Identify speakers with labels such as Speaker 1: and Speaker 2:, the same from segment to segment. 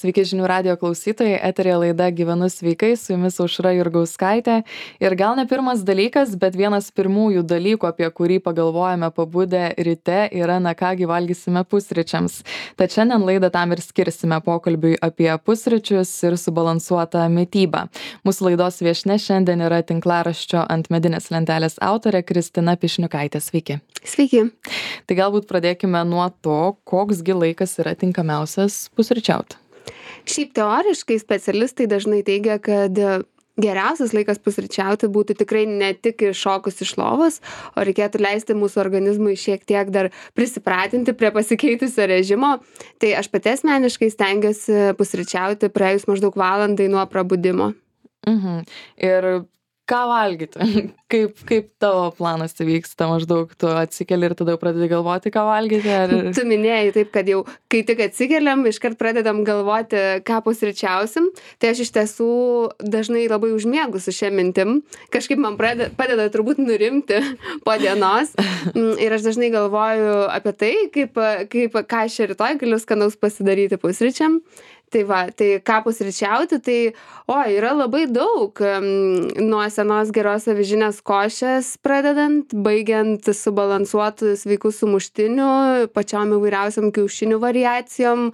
Speaker 1: Sveiki žinių radijo klausytojai, eterė laida Gyvenu sveikai, su jumis Aušra Jurgauskaitė. Ir gal ne pirmas dalykas, bet vienas pirmųjų dalykų, apie kurį pagalvojame pabudę ryte, yra na kągi valgysime pusryčiams. Tad šiandien laidą tam ir skirsime pokalbiui apie pusryčius ir subalansuotą mitybą. Mūsų laidos viešnia šiandien yra tinklaraščio Ant medinės lentelės autorė Kristina Pišniukaitė. Sveiki.
Speaker 2: Sveiki.
Speaker 1: Tai galbūt pradėkime nuo to, koksgi laikas yra tinkamiausias pusryčiauti.
Speaker 2: Šiaip teoriškai specialistai dažnai teigia, kad geriausias laikas pusryčiauti būtų tikrai ne tik iššokus iš lovos, o reikėtų leisti mūsų organizmui šiek tiek dar prisipratinti prie pasikeitusio režimo. Tai aš pati asmeniškai stengiuosi pusryčiauti praėjus maždaug valandai nuo prabudimo.
Speaker 1: Ir ką valgyti? Kaip tavo planas vyksta? Maždaug tu atsikeli ir tada jau pradedi galvoti, ką valgyti? Ar...
Speaker 2: Tu minėjai taip, kad jau kai tik atsikeliam, iškart pradedam galvoti, ką pusryčiausim. Tai aš iš tiesų dažnai labai užmiegu su šia mintim. Kažkaip man padeda turbūt nurimti po dienos. Ir aš dažnai galvoju apie tai, ką aš rytoj galiu skanaus pasidaryti pusryčiam. Tai va, tai ką pusryčiauti, tai yra labai daug, nuo senos geros avižinės košės pradedant, baigiant subalansuotų sveikų sumuštinių, pačiom įvairiausiam kiaušinių variacijom,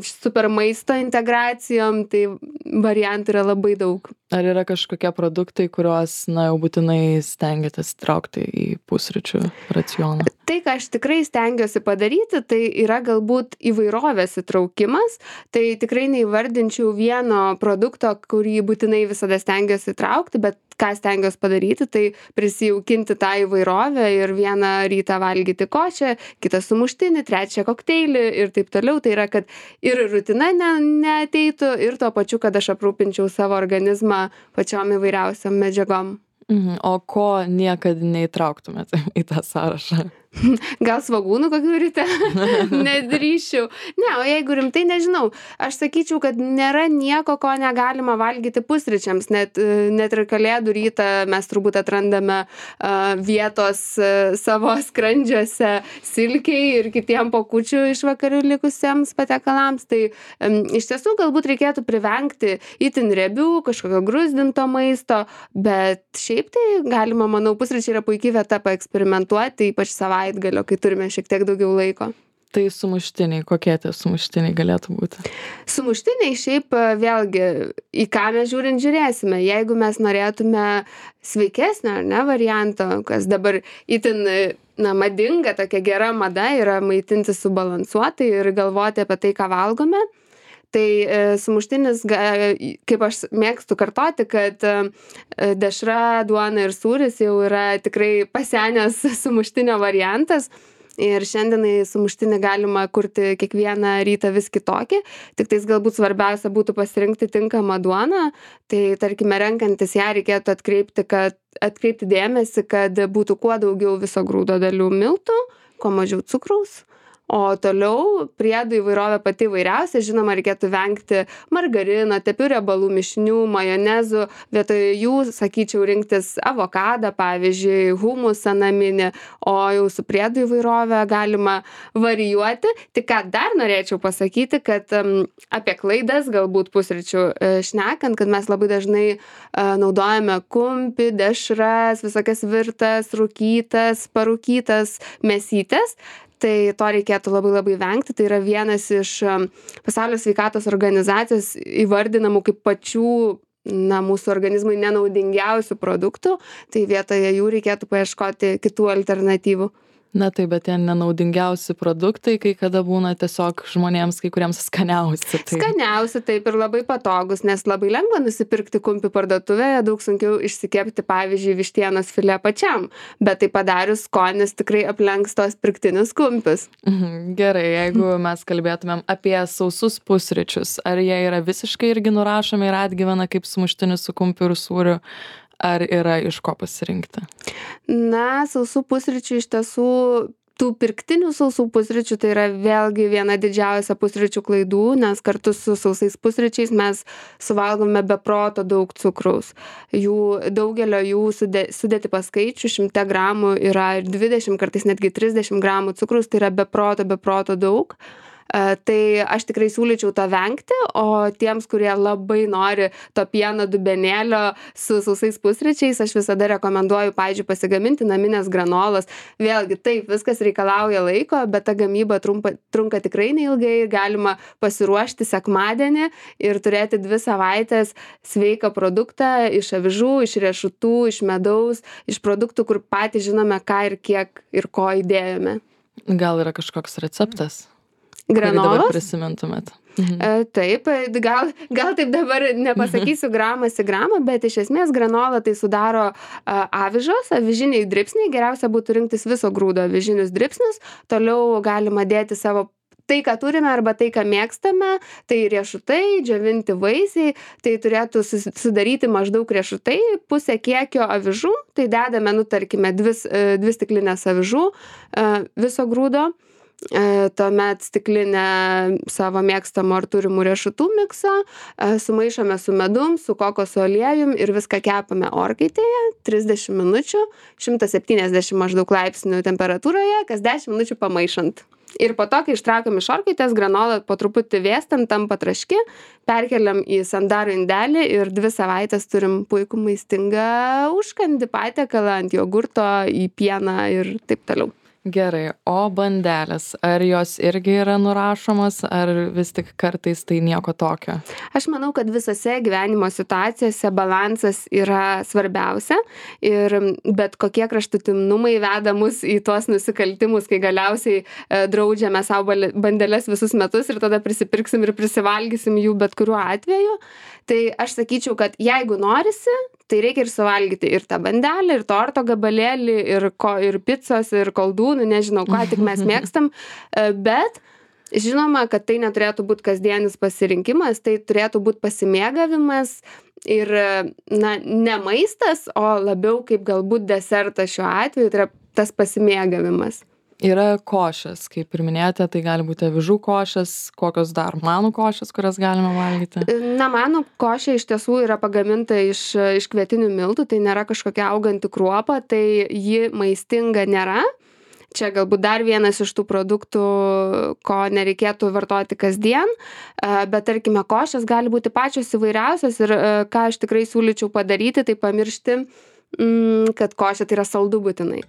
Speaker 2: super maisto integracijom, tai variantų yra labai daug.
Speaker 1: Ar yra kažkokie produktai, kuriuos jau būtinai stengiatės traukti į pusryčių racioną?
Speaker 2: Tai, ką aš tikrai stengiuosi padaryti, tai yra galbūt įvairovės įtraukimas. Tai tikrai neįvardinčiau vieno produkto, kurį būtinai visada stengiuosi traukti, bet ką stengiuosi padaryti, tai prisijaukinti tą įvairovę ir vieną rytą valgyti košę, kitą sumuštinį, trečią kokteilį ir taip toliau. Tai yra, kad ir rutina neateitų ir tuo pačiu, kad aš aprūpinčiau savo organizmą pačiom įvairiausiam medžiagom.
Speaker 1: O ko niekad neįtrauktumėte į tą sąrašą?
Speaker 2: Gal svogūnų kokių ryte? Nedrįščiau. Ne, o jeigu rimtai, nežinau. Aš sakyčiau, kad nėra nieko, ko negalima valgyti pusryčiams. Net ir kalėdų rytą mes turbūt atrandame vietos savo skrandžiuose silkiai ir kitiem pokučių iš vakarių likusiems patiekalams. Tai iš tiesų galbūt reikėtų privengti itin riebių, kažkokio gruzdinto maisto, bet šiaip tai galima, manau, pusryčiai yra puikiai vieta paeksperimentuoti, ypač savaitgalio, kai turime šiek tiek daugiau laiko.
Speaker 1: Tai sumuštiniai, kokie tie sumuštiniai galėtų būti?
Speaker 2: Sumuštiniai šiaip vėlgi, į ką mes žiūrėsime. Jeigu mes norėtume sveikesnio, varianto, kas dabar itin madinga, tokia gera mada yra maitinti subalansuotai ir galvoti apie tai, ką valgome. Tai sumuštinis, kaip aš mėgstu kartoti, kad dešra, duona ir sūris jau yra tikrai pasenęs sumuštinio variantas. Ir šiandienai sumuštinį galima kurti kiekvieną rytą vis kitokį. Tik tais galbūt svarbiausia būtų pasirinkti tinkamą duoną. Tai tarkime, renkantis ją reikėtų atkreipti dėmesį, kad būtų kuo daugiau viso grūdo dalių miltų, kuo mažiau cukraus. O toliau priedų įvairovė pati įvairiausia. Žinoma, reikėtų vengti margarino, tepių riebalų mišinių, majonezų. Vietoj jų, sakyčiau, rinktis avokadą, pavyzdžiui, humusą naminį. O jau su priedų įvairovė galima varijuoti. Tik ką dar norėčiau pasakyti, kad apie klaidas galbūt pusryčių šnekant, kad mes labai dažnai naudojame kumpį, dešras, visokias virtas, rūkytas, parūkytas mėsytes. Tai to reikėtų labai labai vengti. Tai yra vienas iš Pasaulio sveikatos organizacijos įvardinamų kaip pačių mūsų organizmui nenaudingiausių produktų. Tai vietoje jų reikėtų paieškoti kitų alternatyvų.
Speaker 1: Na taip, bet tie nenaudingiausi produktai, kai kada būna tiesiog žmonėms, kai kuriems skaniausi.
Speaker 2: Skaniausi, taip, ir labai patogus, nes labai lengva nusipirkti kumpį parduotuvėje, daug sunkiau išsikepti, pavyzdžiui, vištienos filė pačiam, bet tai padarius skonis tikrai aplenks tos pirktinius kumpius.
Speaker 1: Gerai, jeigu mes kalbėtumėm apie sausus pusryčius, ar jie yra visiškai irgi nurašomi ir atgyvena kaip sumuštinis su kumpiu ir sūriu? Ar yra iš ko pasirinkti?
Speaker 2: Sausų pusryčių iš tiesų, tų pirktinių sausų pusryčių, tai yra vėlgi viena didžiausia pusryčių klaidų, nes kartu su sausais pusryčiais mes suvalgome be proto daug cukraus. Daugelio jų sudėti paskaičių 100 gramų yra 20, kartais netgi 30 gramų cukraus, tai yra be proto daug. Tai aš tikrai siūlyčiau to vengti, o tiems, kurie labai nori to pieno dubenėlio su sausais pusryčiais, aš visada rekomenduoju, pavyzdžiui, pasigaminti naminės granolas. Vėlgi, taip, viskas reikalauja laiko, bet ta gamyba trunka tikrai neilgai ir galima pasiruošti sekmadienį ir turėti 2 savaitės sveiką produktą iš avižų, iš riešutų, iš medaus, iš produktų, kur patys žinome, ką ir kiek ir ko įdėjome.
Speaker 1: Gal yra kažkoks receptas?
Speaker 2: Granolos?
Speaker 1: Kurį dabar prisimintumėt?
Speaker 2: Taip, gal taip dabar nepasakysiu gramas į gramą, bet iš esmės granola tai sudaro avižos, avižiniai dribsniai, geriausia būtų rinktis viso grūdo avižinius dribsnius, toliau galima dėti savo tai, ką turime arba tai, ką mėgstame, tai riešutai, džiovinti vaisiai, tai turėtų sudaryti maždaug riešutai, pusę kiekio avižų, tai dedame, tarkime, 2 stiklinės avižų viso grūdo, tuomet stiklinę savo mėgstamų ar turimų riešutų mikso, sumaišome su medum, su kokoso aliejum ir viską kepame orkaitėje 30 minučių, 170 maždaug laipsnių temperatūroje, kas 10 minučių pamaišant. Ir po to, kai ištraukiam iš orkaitės, granola po truputį vėstant, tampa traški, perkeliam į sandarų indelį ir 2 savaitės turim puikų maistingą užkandį patiekalą ant jogurto, į pieną ir taip toliau.
Speaker 1: Gerai, o bandelės, ar jos irgi yra nurašomos, ar vis tik kartais tai nieko tokio?
Speaker 2: Aš manau, kad visose gyvenimo situacijose balansas yra svarbiausia ir bet kokie kraštutinumai veda mus į tuos nusikaltimus, kai galiausiai draudžiame savo bandeles visus metus ir tada prisipirksim ir prisivalgysim jų bet kuriuo atveju. Tai aš sakyčiau, kad jeigu norisi, tai reikia ir suvalgyti ir tą bandelę, ir torto gabalėlį, ir picos, ir koldūnų, nežinau, ką tik mes mėgstam, bet žinoma, kad tai neturėtų būti kasdienis pasirinkimas, tai turėtų būti pasimėgavimas ir, ne maistas, o labiau kaip galbūt desertas šiuo atveju, tai yra tas pasimėgavimas.
Speaker 1: Yra košės, kaip ir minėjote, tai gali būti avižų košės, kokios dar manų košės, kurias galima valgyti?
Speaker 2: Manų košė iš tiesų yra pagaminta iš kvietinių miltų, tai nėra kažkokia auganti kruopa, tai ji maistinga nėra. Čia galbūt dar vienas iš tų produktų, ko nereikėtų vartoti kasdien, bet tarkime, košės gali būti pačios įvairiausios ir ką aš tikrai siūlyčiau padaryti, tai pamiršti, kad košė tai yra saldu būtinai.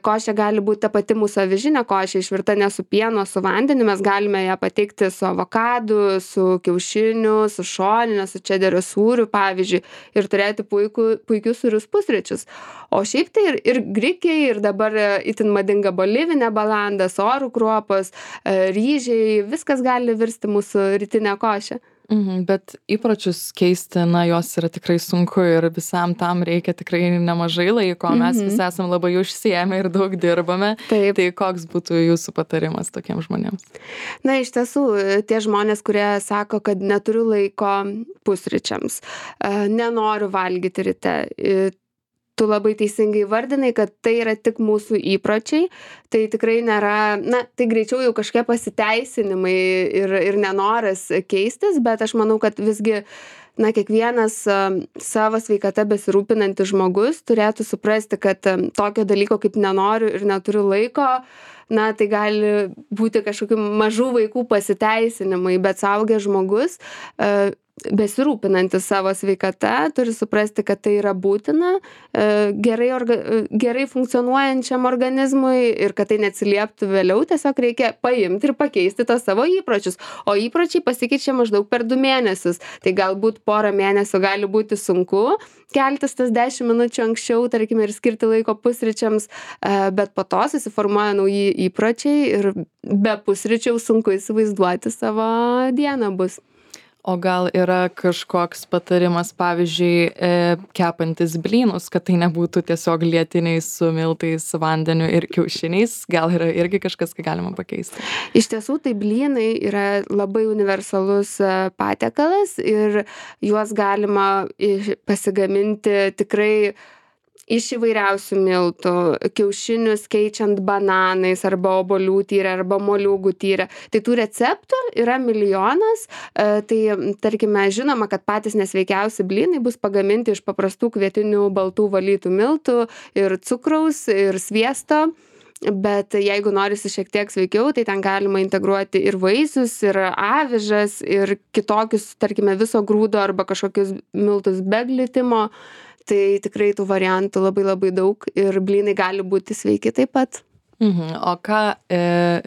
Speaker 2: Košė gali būti ta pati mūsų avižinė košė, išvirta ne su pienu, su vandeniu, mes galime ją pateikti su avokadu, su kiaušiniu, su šoninė, su čederio sūriu, pavyzdžiui, ir turėti puikius sūrius pusryčius. O šiaip tai ir grikiai, ir dabar itin madinga bolivinė balanda, sorų kruopos, ryžiai, viskas gali virsti mūsų rytinę košę.
Speaker 1: Bet įpročius keisti, jos yra tikrai sunku ir visam tam reikia tikrai nemažai laiko, mes visi esame labai užsiėmę ir daug dirbame.
Speaker 2: Taip.
Speaker 1: Tai koks būtų jūsų patarimas tokiems žmonėms?
Speaker 2: Iš tiesų, tie žmonės, kurie sako, kad neturiu laiko pusryčiams, nenoriu valgyti ryte, tu labai teisingai vardinai, kad tai yra tik mūsų įpročiai, tai tikrai nėra, tai greičiau jau kažkokie pasiteisinimai ir nenoras keistis, bet aš manau, kad visgi, kiekvienas savo sveikata besirūpinantis žmogus turėtų suprasti, kad tokio dalyko kaip nenoriu ir neturiu laiko, tai gali būti kažkokių mažų vaikų pasiteisinimai, bet suaugęs žmogus besirūpinantis savo sveikata turi suprasti, kad tai yra būtina gerai funkcionuojančiam organizmui ir kad tai neatsilieptų vėliau, tiesiog reikia paimti ir pakeisti tos savo įpročius. O įpročiai pasikeičia maždaug per 2 mėnesius. Tai galbūt porą mėnesių gali būti sunku keltis tas 10 minučių anksčiau, tarkime, ir skirti laiko pusryčiams, bet po to susiformuoja nauji įpročiai ir be pusryčių sunku įsivaizduoti savo dieną bus.
Speaker 1: O gal yra kažkoks patarimas, pavyzdžiui, kepantis blynus, kad tai nebūtų tiesiog lietiniai su miltais, vandeniu ir kiaušiniais? Gal yra irgi kažkas, ką galima pakeisti?
Speaker 2: Iš tiesų, tai blynai yra labai universalus patiekalas ir juos galima pasigaminti tikrai iš įvairiausių miltų, kiaušinius keičiant bananais arba obuolių tyrę arba moliūgų tyrę. Tai tų receptų yra milijonas, tai tarkime žinoma, kad patys nesveikiausi blynai bus pagaminti iš paprastų kvietinių baltų valytų miltų ir cukraus ir sviesto. bet jeigu norisi šiek tiek sveikiau, tai ten galima integruoti ir vaisius, ir avižas, ir kitokius, tarkime, viso grūdo arba kažkokius miltus be glitimo. Tai tikrai tų variantų labai labai daug ir blynai gali būti sveiki taip pat.
Speaker 1: O ką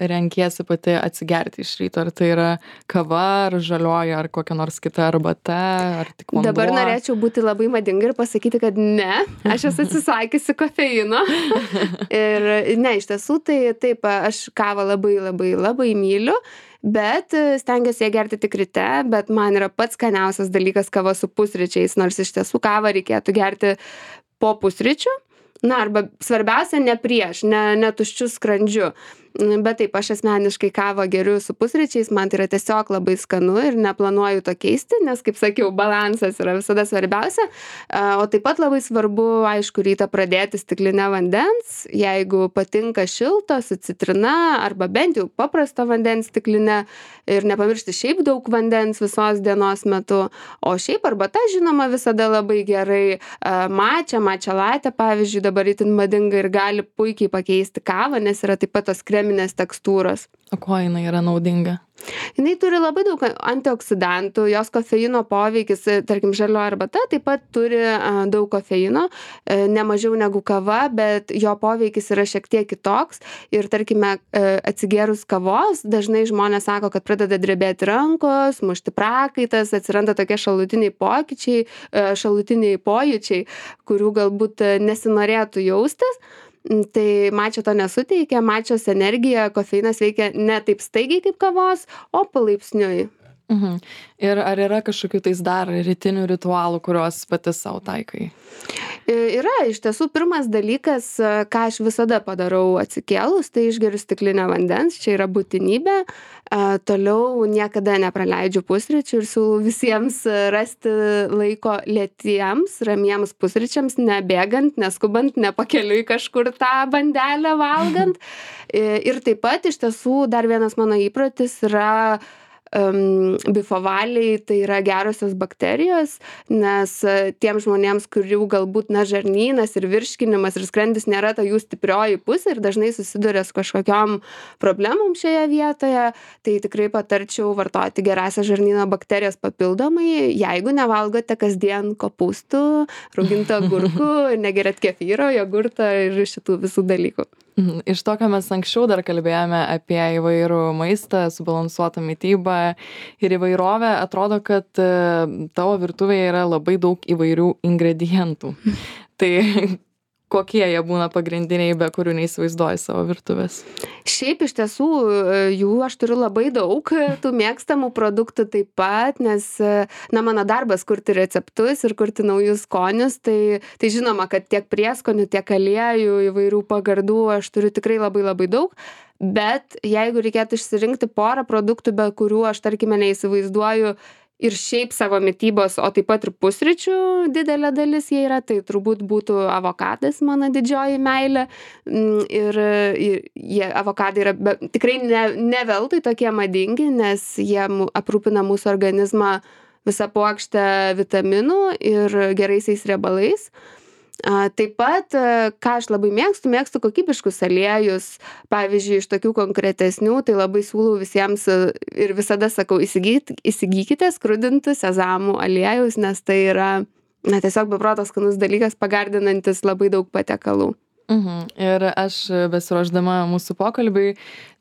Speaker 1: renkiesi pati atsigerti iš ryto? Ar tai yra kava, ar žalioji, ar kokia nors kita arbata, ar tik vanduo?
Speaker 2: Dabar norėčiau būti labai madinga ir pasakyti, kad ne, aš esu atsisakiusi kofeino. Ir ne, iš tiesų, tai taip, aš kavą labai labai labai myliu, bet stengiuosi ją gerti tik ryte, bet man yra pats skaniausias dalykas kava su pusryčiais, nors iš tiesų kavą reikėtų gerti po pusryčių. Na, arba svarbiausia ne prieš, ne tuščiu skrandžiu. Bet taip, aš asmeniškai kavą geriu su pusryčiais, man tai yra tiesiog labai skanu ir neplanuoju to keisti, nes, kaip sakiau, balansas yra visada svarbiausia. O taip pat labai svarbu, aišku, rytą pradėti stiklinę vandens, jeigu patinka šilto su citrina arba bent jau paprasto vandens stiklinę ir nepamiršti šiaip daug vandens visos dienos metu. O šiaip arbata, žinoma, visada labai gerai. Matcha latte, pavyzdžiui, dabar itin madinga ir gali puikiai pakeisti kavą, nes yra taip pat tos kreminės tekstūros.
Speaker 1: O kuo jinai yra naudinga?
Speaker 2: Jinai turi labai daug antioksidantų, jos kofeino poveikis, tarkim, žalioji arbata taip pat turi daug kofeino, ne mažiau negu kava, bet jo poveikis yra šiek tiek kitoks. Ir tarkime, atsigėrus kavos, dažnai žmonės sako, kad pradeda drebėti rankos, mušti prakaitas, atsiranda tokie šalutiniai pokyčiai, šalutiniai pojūčiai, kurių galbūt nesinorėtų jaustis. Tai matcha to nesuteikia, matchos energija, kofeinas veikia ne taip staigiai kaip kavos, o palaipsniui.
Speaker 1: Ir ar yra kažkokių tais dar rytinių ritualų, kuriuos pati savo taikai?
Speaker 2: Yra, iš tiesų, pirmas dalykas, ką aš visada padarau atsikėlus, tai išgeriu stiklinę vandens, čia yra būtinybė. Toliau niekada nepraleidžiu pusryčių ir siūlau visiems rasti laiko lėtiems, ramiems pusryčiams, nebėgant, neskubant, nepakeliui kažkur tą bandelę valgant. Ir taip pat, iš tiesų, dar vienas mano įprotis yra bifovaliai, tai yra gerosios bakterijos, nes tiem žmonėms, kurių galbūt žarnynas ir virškinimas ir skrandis nėra ta jų stiprioji pusė ir dažnai susiduria su kažkokiom problemom šioje vietoje, tai tikrai patarčiau vartoti gerąsias žarnyno bakterijas papildomai, jeigu nevalgote kasdien kopūstų, raugintų agurkų, negeriat kefyro, jogurto ir šitų visų dalykų.
Speaker 1: Iš to, ką mes anksčiau dar kalbėjome apie įvairų maistą, subalansuotą mitybą ir įvairovę, atrodo, kad tavo virtuvėje yra labai daug įvairių ingredientų. Tai kokie jie būna pagrindiniai, be kurių neįsivaizduoji savo virtuvės?
Speaker 2: Šiaip iš tiesų jų aš turiu labai daug, tų mėgstamų produktų taip pat, nes mano darbas kurti receptus ir kurti naujus skonius, tai žinoma, kad tiek prieskonių, tiek aliejų, įvairių pagardų aš turiu tikrai labai labai daug. Bet jeigu reikėtų išsirinkti porą produktų, be kurių aš, tarkime, neįsivaizduoju ir šiaip savo mitybos, o taip pat ir pusryčių didelė dalis jie yra, tai turbūt būtų avokadas, mano didžioji meilė. Ir avokadai yra tikrai ne veltui tokie madingi, nes jie aprūpina mūsų organizmą visą puokštę vitaminų ir geraisiais riebalais. Taip pat, ką aš labai mėgstu kokybiškus aliejus, pavyzdžiui, iš tokių konkretesnių, tai labai siūlau visiems ir visada sakau, įsigykite skrudintų sezamų aliejus, nes tai yra tiesiog beprotos skanus dalykas, pagardinantis labai daug patiekalų.
Speaker 1: Ir aš besiruošdama mūsų pokalbiui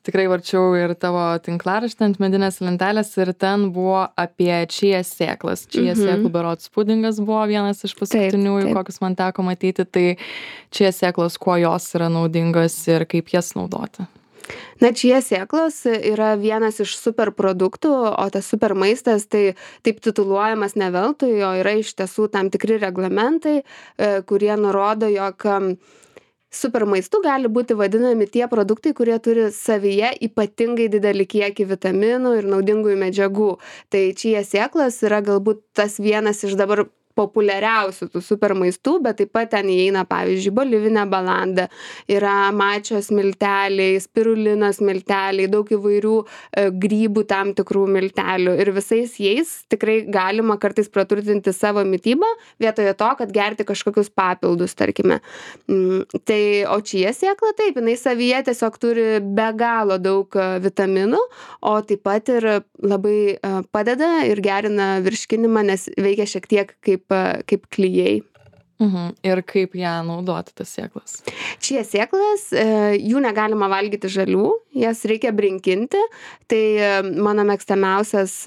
Speaker 1: tikrai varčiau ir tavo tinklaraštį ant medinės lentelės ir ten buvo apie čija sėklas. Čija sėklų berods pudingas buvo vienas iš paskutiniųjų, kokius man teko matyti. Tai čija sėklos, kuo jos yra naudingos ir kaip jas naudoti?
Speaker 2: Čija sėklos yra vienas iš super produktų, o tas super maistas tai taip tituluojamas ne veltui, o yra iš tiesų tam tikri reglamentai, kurie nurodo, jog super maistu gali būti vadinami tie produktai, kurie turi savyje ypatingai didelį kiekį vitaminų ir naudingųjų medžiagų. Tai čija sėklos yra galbūt tas vienas iš dabar populiariausių tų super maistų, bet taip pat ten įeina, pavyzdžiui, bolivinė balanda, yra mačios milteliai, spirulinos milteliai, daug įvairių grybų tam tikrų miltelių ir visais jais tikrai galima kartais praturtinti savo mitybą vietoje to, kad gerti kažkokius papildus, tarkime. Tai, o čia sėkla taip, jinai savyje tiesiog turi be galo daug vitaminų, o taip pat ir labai padeda ir gerina virškinimą, nes veikia šiek tiek kaip klijai.
Speaker 1: Ir kaip ją naudoti, tas sėklas?
Speaker 2: Čia sėklas, jų negalima valgyti žalių, jas reikia brinkinti. Tai mano mėgstamiausias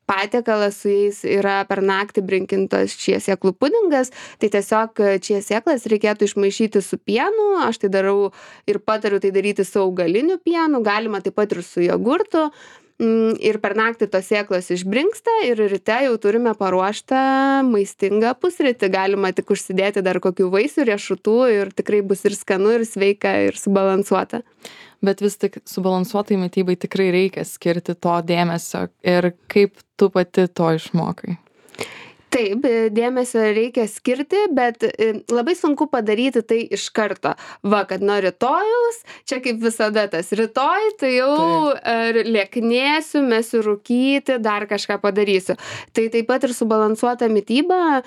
Speaker 2: patiekalas su jais yra per naktį brinkintas čia sėklų pudingas. Tai tiesiog čia sėklas reikėtų išmaišyti su pienu. Aš tai darau ir patariu tai daryti su augaliniu pienu, galima taip pat ir su jogurtu. Ir per naktį tos sėklos išbrinksta ir ryte jau turime paruoštą maistingą pusrytį. Galima tik užsidėti dar kokių vaisių, riešutų ir tikrai bus ir skanu, ir sveika, ir subalansuota.
Speaker 1: Bet vis tik subalansuotai mitybai tikrai reikia skirti to dėmesio. Ir kaip tu pati to išmokai?
Speaker 2: Taip, dėmesio reikia skirti, bet labai sunku padaryti tai iš karto. Va, kad nuo rytojaus, čia kaip visada tas rytoj, tai jau lieknėsiu, mesiu rūkyti, dar kažką padarysiu. Tai taip pat ir subalansuota mityba,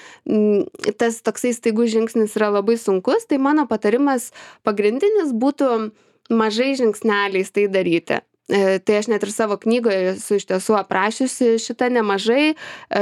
Speaker 2: tas toksai staigus žingsnis yra labai sunkus, tai mano patarimas pagrindinis būtų mažai žingsneliais tai daryti. Tai aš net ir savo knygoje esu iš tiesų aprašiusi šitą nemažai,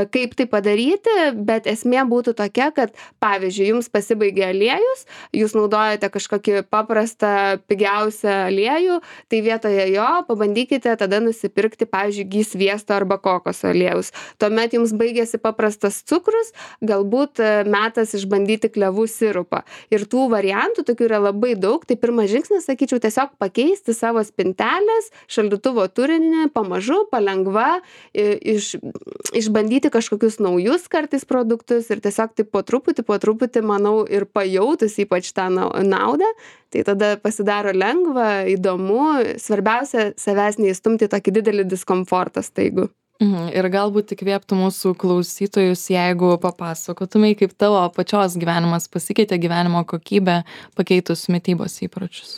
Speaker 2: kaip tai padaryti, bet esmė būtų tokia, kad pavyzdžiui, jums pasibaigė aliejus, jūs naudojate kažkokį paprastą, pigiausią aliejų, tai vietoje jo pabandykite tada nusipirkti, pavyzdžiui, gy sviesto arba kokoso aliejus. Tuomet jums baigėsi paprastas cukrus, galbūt metas išbandyti klevų sirupą. Ir tų variantų tokių yra labai daug, tai pirmas žingsnis, sakyčiau, tiesiog pakeisti savo spintelės, šaldytuvo turinį, pamažu, palengva, išbandyti kažkokius naujus kartais produktus ir tiesiog taip po truputį, manau, ir pajautus ypač tą naudą, tai tada pasidaro lengva, įdomu, svarbiausia savęs neįstumti tokį didelį diskomfortą staigų.
Speaker 1: Ir galbūt įkvėptų mūsų klausytojus, jeigu papasakotumai, kaip tavo pačios gyvenimas pasikeitė, gyvenimo kokybę pakeitus mitybos įpročius.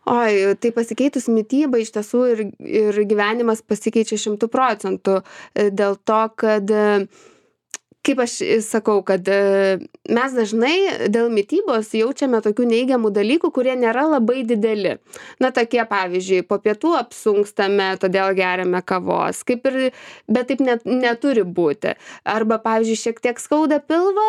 Speaker 2: Oi, tai pasikeitus mitybą iš tiesų ir gyvenimas pasikeičia 100%. Dėl to, kad, kaip aš sakau, kad mes dažnai dėl mitybos jaučiame tokių neigiamų dalykų, kurie nėra labai dideli. Na, tokie pavyzdžiui, po pietų apsunkstame, todėl geriame kavos, bet taip neturi būti. Arba, pavyzdžiui, šiek tiek skauda pilvą,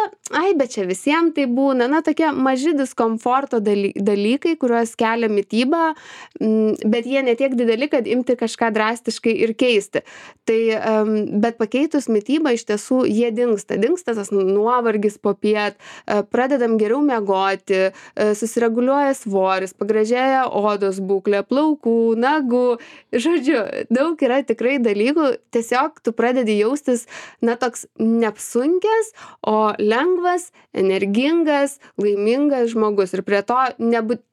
Speaker 2: bet čia visiems tai būna. Na, tokie maži diskomforto dalykai, kuriuos kelia mityba, bet jie netiek dideli, kad imti kažką drastiškai ir keisti. Tai, bet pakeitus mitybą iš tiesų jie dingsta tas nuovargis popiet, pradedam geriau miegoti, susireguliuoja svoris, pagražėja odos būklė, plaukų, nagų, žodžiu, daug yra tikrai dalykų, tiesiog tu pradedi jaustis, na, toks neapsunkęs, o lengvas, energingas, laimingas žmogus. Ir prie to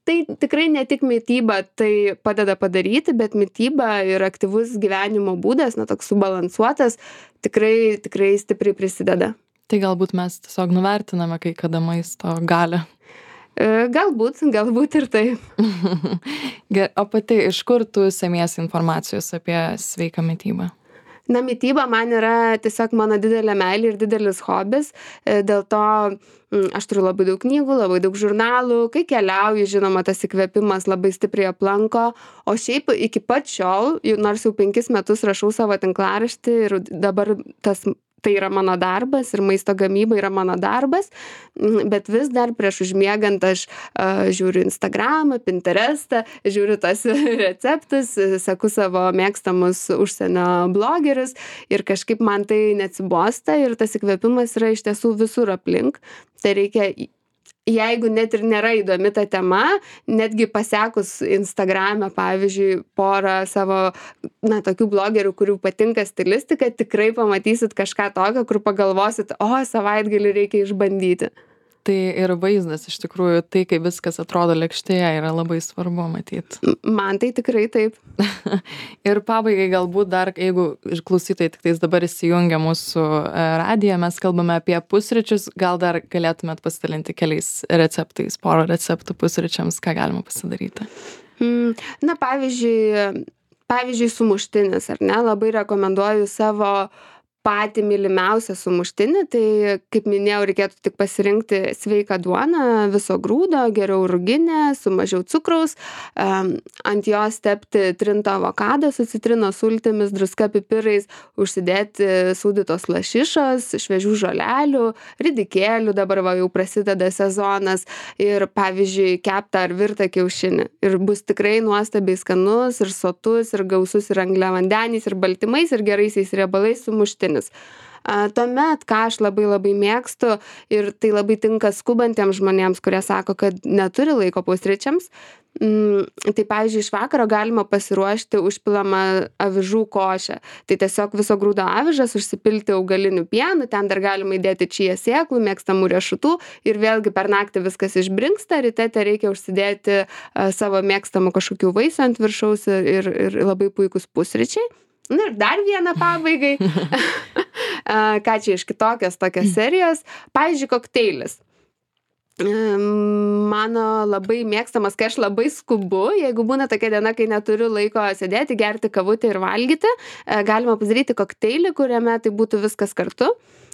Speaker 2: tai tikrai ne tik mityba tai padeda padaryti, bet mityba ir aktyvus gyvenimo būdas, na, toks subalansuotas, tikrai stipriai prisideda.
Speaker 1: Tai galbūt mes tiesiog nuvertiname kai kada maisto galią.
Speaker 2: Galbūt ir taip.
Speaker 1: O pati, iš kur tu semiesi informacijos apie sveiką mitybą?
Speaker 2: Na, mityba man yra tiesiog mano didelė meilė ir didelis hobis, dėl to aš turiu labai daug knygų, labai daug žurnalų, kai keliauju, žinoma, tas įkvėpimas labai stipriai aplanko, o šiaip iki pat šiol, nors jau 5 metus rašau savo tinklaraštį ir dabar tai yra mano darbas ir maisto gamyba yra mano darbas, bet vis dar prieš užmiegant aš žiūriu Instagramą, Pinterestą, žiūriu tas receptus, seku savo mėgstamus užsienio blogerius ir kažkaip man tai neatsibosta ir tas įkvėpimas yra iš tiesų visur aplink. Tai reikia, jeigu net ir nėra įdomi ta tema, netgi pasekus Instagrame, pavyzdžiui, porą savo, na, tokių blogerių, kurių patinka stilistika, tikrai pamatysit kažką tokio, kur pagalvosit, savaitgalį reikia išbandyti.
Speaker 1: Tai ir vaizdas iš tikrųjų, tai kaip viskas atrodo lėkštėje yra labai svarbu matyt.
Speaker 2: Man tai tikrai taip.
Speaker 1: Ir pabaigai galbūt dar, jeigu klausytojai tik tais dabar įsijungia mūsų radiją, mes kalbame apie pusryčius, gal dar galėtumėt pasidalinti keliais receptais, porą receptų pusryčiams, ką galima pasidaryti.
Speaker 2: Na, pavyzdžiui, sumuštinis, ar ne, labai rekomenduoju savo patį mylimiausią sumuštinį, tai, kaip minėjau, reikėtų tik pasirinkti sveiką duoną, viso grūdo, geriau ruginę, su mažiau cukraus, ant jos tepti trintą avokadą su citrinos sultimis, druska, pipirais, užsidėti sūdytos lašišos, šviežių žolelių, ridikėlių, dabar jau prasideda sezonas, ir, pavyzdžiui, keptą ar virtą kiaušinį. Ir bus tikrai nuostabiai skanus ir sotus ir gausus ir angliavandeniais ir baltymais ir geraisiais riebalais sumuštinis. Tuomet, ką aš labai mėgstu, ir tai labai tinka skubantiems žmonėms, kurie sako, kad neturi laiko pusryčiams, tai, pavyzdžiui, iš vakaro galima pasiruošti užpilamą avižų košę. Tai tiesiog viso grūdo avižas užsipilti augaliniu pienu, ten dar galima įdėti čija sėklų, mėgstamų riešutų, ir vėlgi per naktį viskas išbrinksta, ryte reikia užsidėti savo mėgstamų kažkokių vaisių ant viršaus ir labai puikus pusryčiai. Na ir dar vieną pabaigai. Ką čia iš kitokios tokios serijos? Pavyzdžiui, kokteilis. Mano labai mėgstamas, kai aš labai skubu, jeigu būna tokia diena, kai neturiu laiko sėdėti, gerti kavutę ir valgyti, galima padaryti kokteilį, kuriame tai būtų viskas kartu.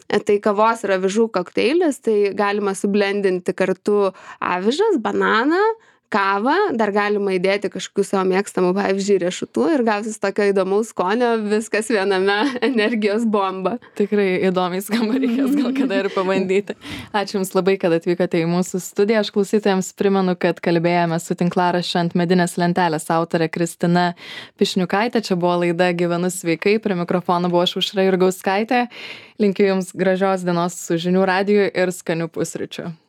Speaker 2: Tai kavos ir avižų kokteilis, tai galima sublendinti kartu avižas, bananą, kavą, dar galima įdėti kažkokių savo mėgstamų, pavyzdžiui, riešutų, ir gausis tokio įdomaus skonio, viskas viename, energijos bomba.
Speaker 1: Tikrai įdomiai skamba, reikės gal kada ir pabandyti. Ačiū Jums labai, kad atvykote į mūsų studiją. Aš klausytojams primenu, kad kalbėjome su tinklaraščio Ant medinės lentelės autore Kristina Pišniukaitė. Čia buvo laida Gyvenu sveikai. Prie mikrofono buvo Aušra Jurgauskaitė. Linkiu Jums gražios dienos su žinių radiju ir skanių pusryčių.